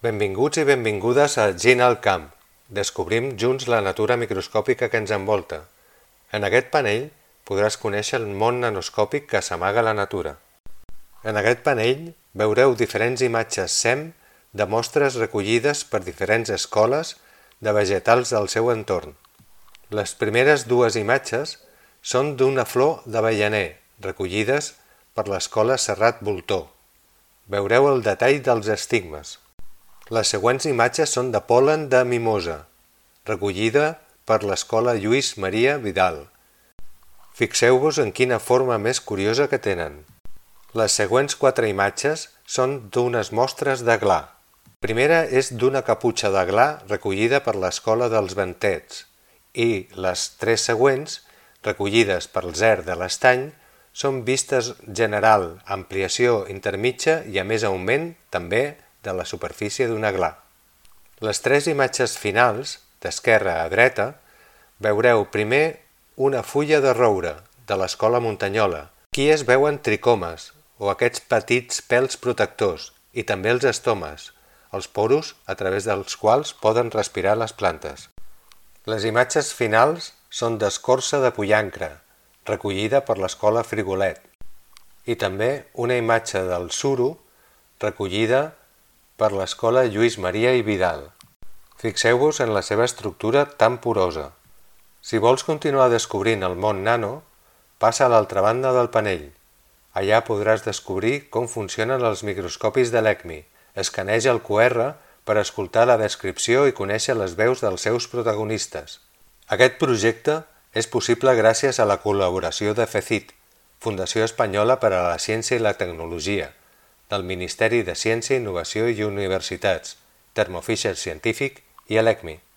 Benvinguts i benvingudes a Gent al camp. Descobrim junts la natura microscòpica que ens envolta. En aquest panell podràs conèixer el món nanoscòpic que s'amaga a la natura. En aquest panell veureu diferents imatges SEM de mostres recollides per diferents escoles de vegetals del seu entorn. Les primeres dues imatges són d'una flor d'avellaner, recollides per l'escola Serrat Voltor. Veureu el detall dels estigmes. Les següents imatges són de pol·len de mimosa, recollida per l'escola Lluís Maria Vidal. Fixeu-vos en quina forma més curiosa que tenen. Les següents 4 imatges són d'unes mostres de gla. La primera és d'una caputxa de gla recollida per l'escola dels Ventets i les 3 següents, recollides per Zer de l'Estany, són vistes general, ampliació intermitja i a més augment també de la superfície d'una gla. Les 3 imatges finals, d'esquerra a dreta, veureu primer una fulla de roure, de l'escola Muntanyola. Aquí es veuen tricomes, o aquests petits pèls protectors, i també els estomes, els poros a través dels quals poden respirar les plantes. Les imatges finals són d'escorça de pollancre, recollida per l'escola Frigolet, i també una imatge del suro, recollida per l'escola Lluís Maria i Vidal. Fixeu-vos en la seva estructura tan porosa. Si vols continuar descobrint el món nano, passa a l'altra banda del panell. Allà podràs descobrir com funcionen els microscopis de l'ECMI. Escaneja el QR per escoltar la descripció i conèixer les veus dels seus protagonistes. Aquest projecte és possible gràcies a la col·laboració de FECIT, Fundació Espanyola per a la Ciència i la Tecnologia, del Ministeri de Ciència, Innovació i Universitats, Thermo Fisher Científic i l'ECMI.